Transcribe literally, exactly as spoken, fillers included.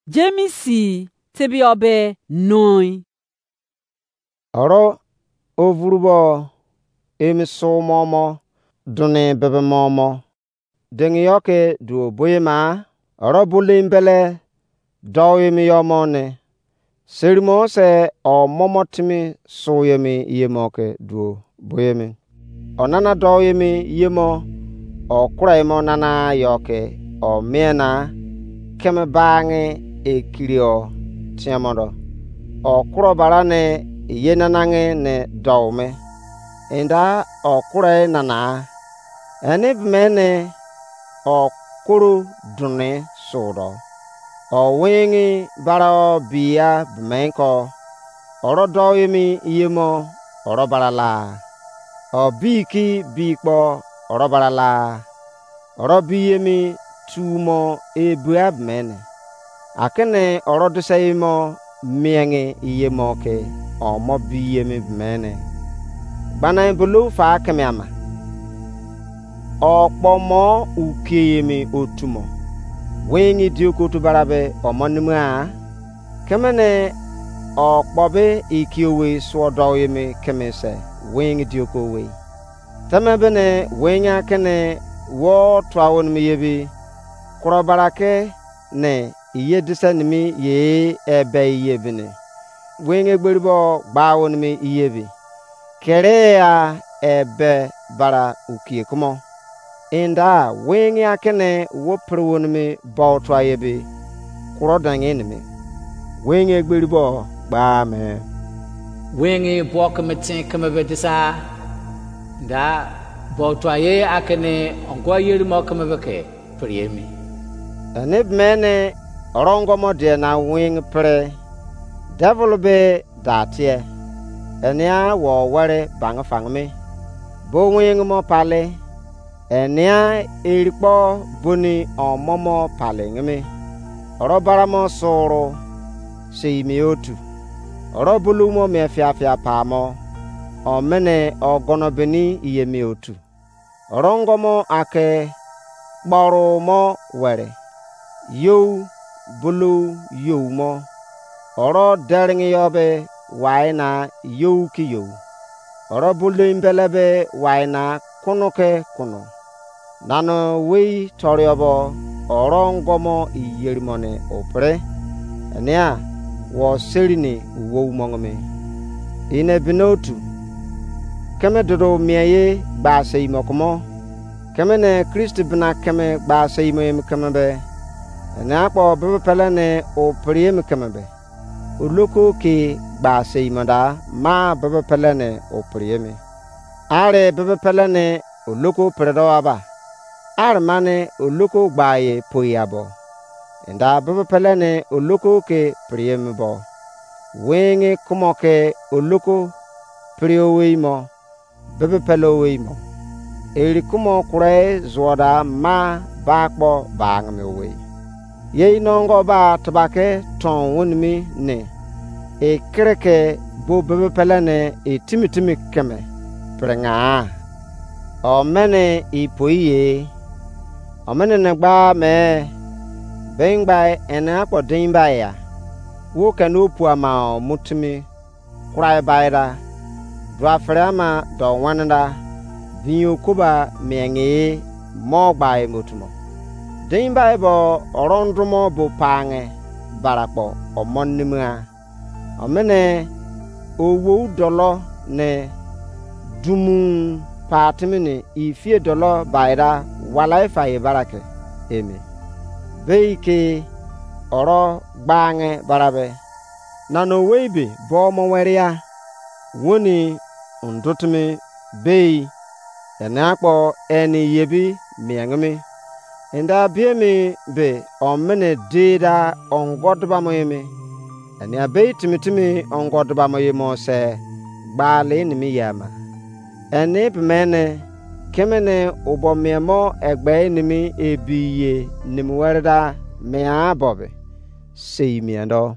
Jemes tebiyọ be noi. Oro ovurubo emi sumo mo duni bebe mo mo dengi yo ke duo boye ma, oro bulin bele dou emi yo mo ne. Serimo se omomo timi su yemi yemo ke duo boyemi. Onana dou yemi yemo, okura emo nana yo ke omie na keme bangi ekiri o tiemo do. Okuro bara ne ye nanangi ne dou me. Enda okura nana. Eni bemene okuru duni su do. Owingi bara o biya bemenko. Oro dou emi yemo oro bara la. Obi ki bi kpo oro bara la. Oro bi yemi tumo ebua bemene. Akene oro dise yemo miengi yemo ke omo bi yemi bemene. Gbana bulou fa keme ama. Okpo mo ukieyemi otu mo. Wingi dioko otu barabe omo nima. Kemene okpo be ikiowei suo dou yemi keme se wingi dioko owei. Teme bene wingi akene wo tua wonimi yebi kuro barake ne iye dise nimi ye ebe iye bene. Wingi egberi bo gba wonimi iye bi. Kere ya ebe bara ukie kumo. Enda wingi akene wo pere wonimi bo tua ye bi kuro dangi nimi. Wingi egberi bo gba me. Wingi bo keme tin keme be disa. Da bo tua ye akene ongo yeri mo keme be ke. Pere emi. Eni bemene orongo mo die na wing pere. Devil be da tie. Enia wo were bang fang me. Bo wing mo pale. Enia erikpo boni omomo pale ngeme. Oro bara mo suru sei mi otu. Oro bulu mo me fia fia pa mo. Omene ogono beni iye mi otu. Orongo mo ake kporu mo were, you bulou you mo. Oro deringi yo be wai na you ki you. Oro bulou mbele be wai na kunu ke kunu. Nano wei toriobo orongo mo iyeri mo ne opre. Enia wo seri ni uwo umongome. Ine binotu. Keme dodo mie ye gba sei mo kumo. Keme ne Kristi bina keme gba sei mo emi keme be. Ene akpo bebe pele ne o pri emi keme be. Oloko ke gba sei mo da ma bebe pele ne o pri emi. Are bebe pele ne oloko pre do aba. Are mane oloko gba ye poi abo. Enda bebe pele ne oloko ke pri emi bo. Wenge kumo ke oloko pri owei mo. Bebe pele owei mo. Eri kumo kure zuoda ma ba kpo ba ngeme owei. Ye inongo ba tebake ton wonimi ne. Ekereke bo bebe pele ne etimi timi keme. Prenga. Omene ipoi ye. Omene ne gba me. Bengbai ene akpo dengbai ya. Wo kene opu ama o mutimi. Kurai bai da. Dua fere ama do wane da. Vinyo koba mienge mo gba emotumo. Dengbai bo orondumo bo pange barakpo omo nimia. Omene owo dolo ne dumu patimi ne ifie dolo baida wala ifa ye barake emi. Bei ke oro gbange barabe. Nano wei be bo mo weria. Woni undutimi bei. Ene akpo eni yebi miengimi. Enda biemi be omene deda ongo dubamo emi. Enia bei timi timi ongo dubamo ye mo se gbali nimi ye ama. Eni bemene kemene ubo mie mo egbe nimi ebi ye nimi were da mia bobe. Sei mie do.